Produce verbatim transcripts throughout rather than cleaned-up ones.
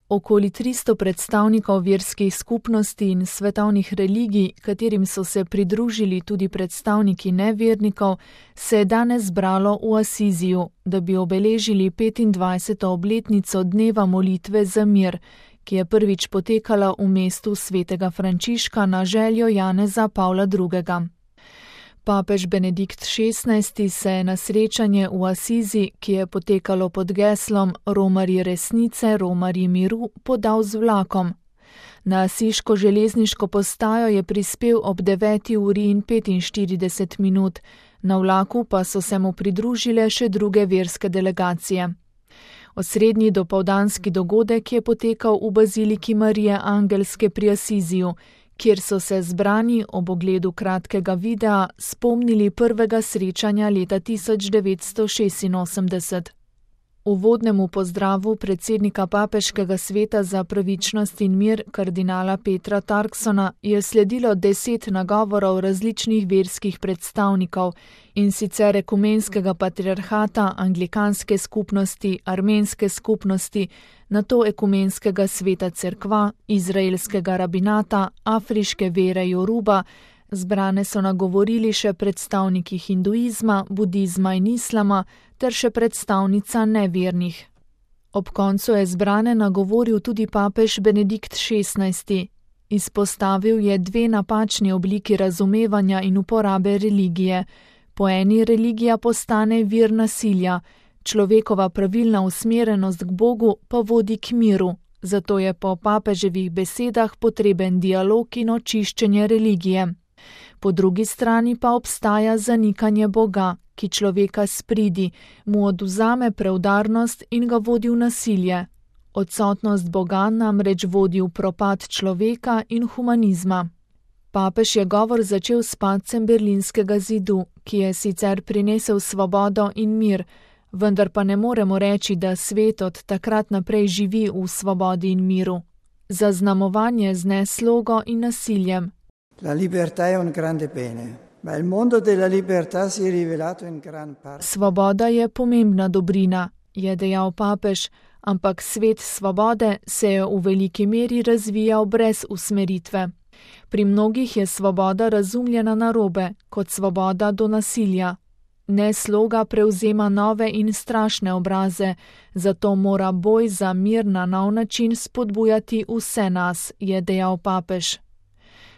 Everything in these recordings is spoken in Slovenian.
Okoli tristo predstavnikov verskih skupnosti in svetovnih religij, katerim so se pridružili tudi predstavniki nevernikov, se je danes zbralo v Asiziju, da bi obeležili petindvajseto obletnico dneva molitve za mir, ki je prvič potekala v mestu svetega Frančiška na željo Janeza Pavla drugega. Papež Benedikt šestnajsti se je na srečanje v Asizi, ki je potekalo pod geslom Romarji resnice, Romarji miru, podal z vlakom. Na asiško železniško postajo je prispel ob deveti uri in petinštirideset minut, na vlaku pa so se mu pridružile še druge verske delegacije. Osrednji dopoldanski dogodek je potekal v baziliki Marije Angelske pri Asiziju, kjer so se zbrani ob ogledu kratkega videa spomnili prvega srečanja leta tisoč devetsto šestinosemdeset. Uvodnemu pozdravu predsednika Papeškega sveta za pravičnost in mir kardinala Petra Turksona je sledilo deset nagovorov različnih verskih predstavnikov, in sicer ekumenskega patriarhata, anglikanske skupnosti, armenske skupnosti, nato ekumenskega sveta cerkva, izraelskega rabinata, afriške vere Joruba. Zbrane so nagovorili še predstavniki hinduizma, budizma in islama ter še predstavnica nevernih. Ob koncu je zbrane nagovoril tudi papež Benedikt šestnajsti. Izpostavil je dve napačni obliki razumevanja in uporabe religije. Po eni religija postane vir nasilja, človekova pravilna usmerjenost k Bogu pa vodi k miru, zato je po papeževih besedah potreben dialog in očiščenje religije. Po drugi strani pa obstaja zanikanje Boga, ki človeka spridi, mu odvzame preudarnost in ga vodi v nasilje. Odsotnost Boga namreč vodi v propad človeka in humanizma. Papež je govor začel s padcem berlinskega zidu, ki je sicer prinesel svobodo in mir, vendar pa ne moremo reči, da svet od takrat naprej živi v svobodi in miru. Zaznamovanje z neslogo in nasiljem. La libertà è un grande bene, ma il mondo della libertà si è rivelato in gran parte. Svoboda je pomembna dobrina, je dejal papež, ampak svet svobode se je v veliki meri razvijal brez usmeritve. Pri mnogih je svoboda razumljena narobe, kot svoboda do nasilja. Nesloga prevzema nove in strašne obraze, zato mora boj za mir na nov način spodbujati vse nas, je dejal papež.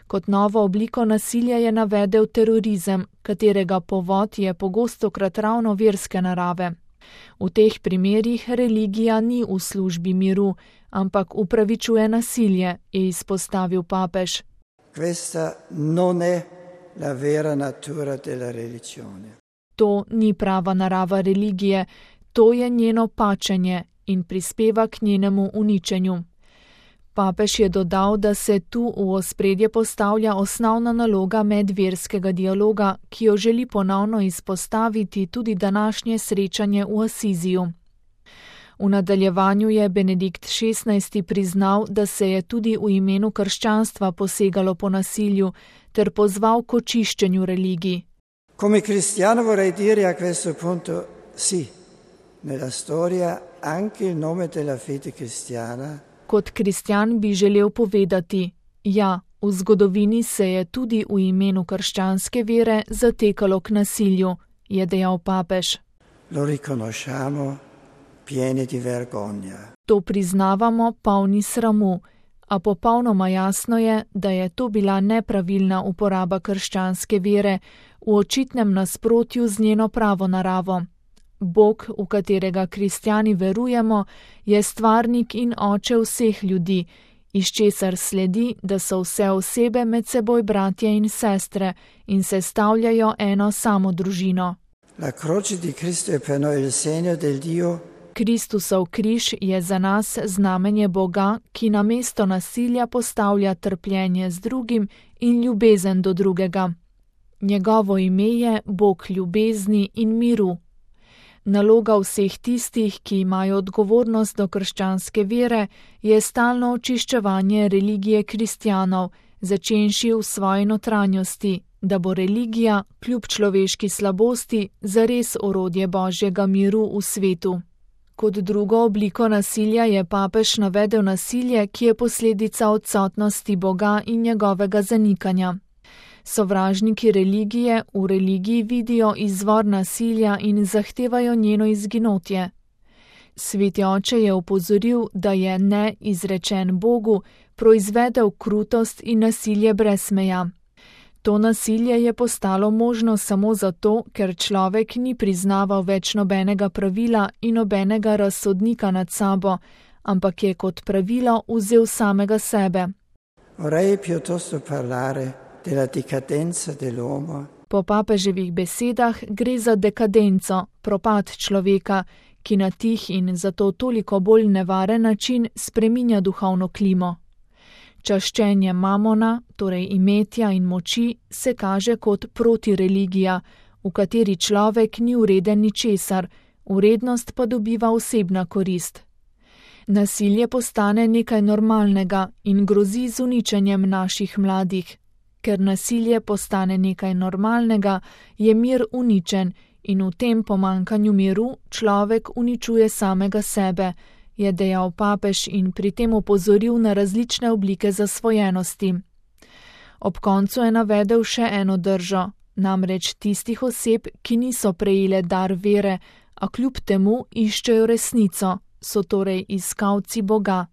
Kot novo obliko nasilja je navedel terorizem, katerega povod je pogostokrat ravno verske narave. V teh primerih religija ni v službi miru, ampak upravičuje nasilje, je izpostavil papež. Questa non è la vera natura della religione. To ni prava narava religije, to je njeno pačenje in prispeva k njenemu uničenju. Papež je dodal, da se tu v ospredje postavlja osnovna naloga medverskega dialoga, ki jo želi ponovno izpostaviti tudi današnje srečanje v Asiziju. V nadaljevanju je Benedikt šestnajsti priznal, da se je tudi v imenu krščanstva posegalo po nasilju, ter pozval k očiščenju religij. Come cristiano vorrei dire a questo punto sì, nella storia anche il nome della fede cristiana. Kot kristjan bi želel povedati, ja, v zgodovini se je tudi v imenu krščanske vere zatekalo k nasilju, je dejal papež. Lo riconosciamo pieni di vergogna. To priznavamo polni sramu, a popolnoma jasno je, da je to bila nepravilna uporaba krščanske vere v očitnem nasprotju z njeno pravo naravo. Bog, v katerega kristjani verujemo, je stvarnik in oče vseh ljudi, iz česar sledi, da so vse osebe med seboj bratje in sestre in sestavljajo eno samo družino. La croce di Cristo è per noi il segno del Dio. Kristusov križ je za nas znamenje Boga, ki namesto nasilja postavlja trpljenje z drugim in ljubezen do drugega. Njegovo ime je Bog ljubezni in miru. Naloga vseh tistih, ki imajo odgovornost do krščanske vere, je stalno očiščevanje religije kristjanov, začenši v svoji notranjosti, da bo religija, kljub človeški slabosti, zares orodje Božjega miru v svetu. Kot drugo obliko nasilja je papež navedel nasilje, ki je posledica odsotnosti Boga in njegovega zanikanja. Sovražniki religije v religiji vidijo izvor nasilja in zahtevajo njeno izginotje. Sveti oče je opozoril, da je ne izrečen Bogu proizvedel krutost in nasilje brez meja. To nasilje je postalo možno samo zato, ker človek ni priznaval več nobenega pravila in nobenega razsodnika nad sabo, ampak je kot pravilo vzel samega sebe. Vorrei piuttosto parlare della decadenza dell'uomo. Po papeževih besedah gre za dekadenco, propad človeka, ki na tih in zato toliko bolj nevaren način spreminja duhovno klimo. Čaščenje mamona, torej imetja in moči, se kaže kot protireligija, v kateri človek ni vreden ničesar, vrednost pa dobiva osebna korist. Nasilje postane nekaj normalnega in grozi z uničenjem naših mladih. Ker nasilje postane nekaj normalnega, je mir uničen in v tem pomanjkanju miru človek uničuje samega sebe, je dejal papež in pri tem opozoril na različne oblike zasvojenosti. Ob koncu je navedel še eno držo, namreč tistih oseb, ki niso prejele dar vere, a kljub temu iščejo resnico, so torej iskalci Boga.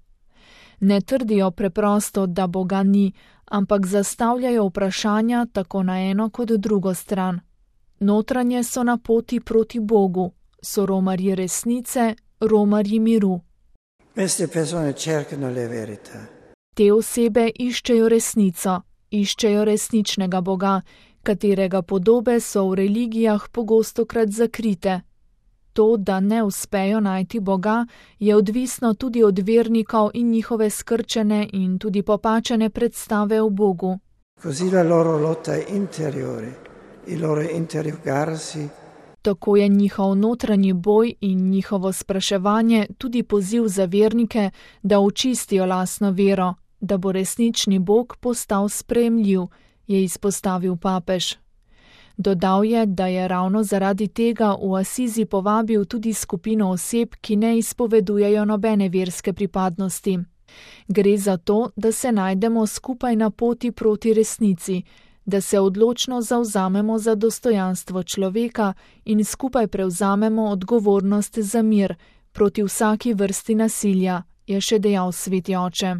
Ne trdijo preprosto, da Boga ni, ampak zastavljajo vprašanja tako na eno kot drugo stran. Notranje so na poti proti Bogu, so romarji resnice, romarji miru. Queste persone cercano la verità. Te osebe iščejo resnico, iščejo resničnega Boga, katerega podobe so v religijah pogostokrat zakrite. To, da ne uspejo najti Boga, je odvisno tudi od vernikov in njihove skrčene in tudi popačene predstave o Bogu. Così la loro lotta interiore, il loro interrogarsi. Tako je njihov notranji boj in njihovo spraševanje tudi poziv za vernike, da očistijo lastno vero, da bo resnični Bog postal sprejemljiv, je izpostavil papež. Dodal je, da je ravno zaradi tega v Asizi povabil tudi skupino oseb, ki ne izpovedujejo nobene verske pripadnosti. Gre za to, da se najdemo skupaj na poti proti resnici, da se odločno zavzamemo za dostojanstvo človeka in skupaj prevzamemo odgovornost za mir proti vsaki vrsti nasilja, je še dejal sveti oče.